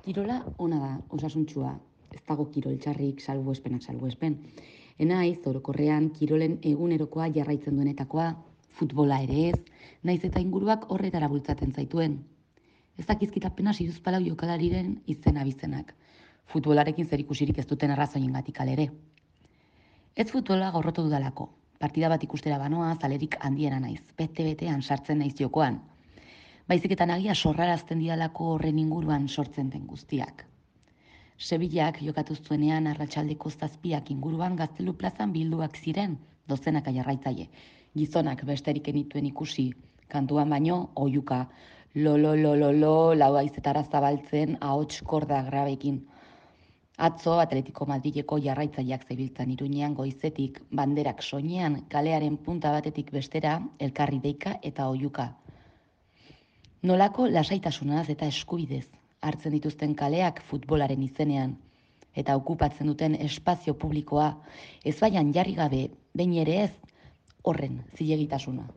Kirola ona da, osasuntsua, ez dago kirol txarrik salbuespenak salbuespen. Enaiz, orokorrean, kirolen egunerokoa jarraitzen duenetakoa, futbola ere ez, naiz eta inguruak horretara bultzaten zaituen. Ez dakizkit apenas hiruzpalau jokalariren izena bizenak. Futbolarekin zerikusirik ez duten arrazoiengatik alere. Ez futbola gorrotu dudalako. Partida bat ikustera banoa, zalerik handiena naiz, bete-betean sartzen naiz jokoan. Baizik eta nagia sorrarazten didalako horren inguruan sortzen den guztiak. Sevillak jokatu zuenean arratsaldeko 7 inguruan Gaztelu plazan bilduak ziren dozenaka jarraitzaile. Gizonak besterik enituen ikusi, kantuan baino oihuka, lo, lau haizetara zabaltzen ahots korda grabekin. Atzo Atletico Madrileko jarraitzaileak zebiltzan Iruñean goizetik, banderak soinean, kalearen punta batetik bestera, elkarri deika eta oihuka. Nolako lasaitasunaz eta eskubidez hartzen dituzten kaleak futbolaren izenean, eta okupatzen duten espazio publikoa, ezbaian jarri gabe, behin ere ez, horren zilegitasuna.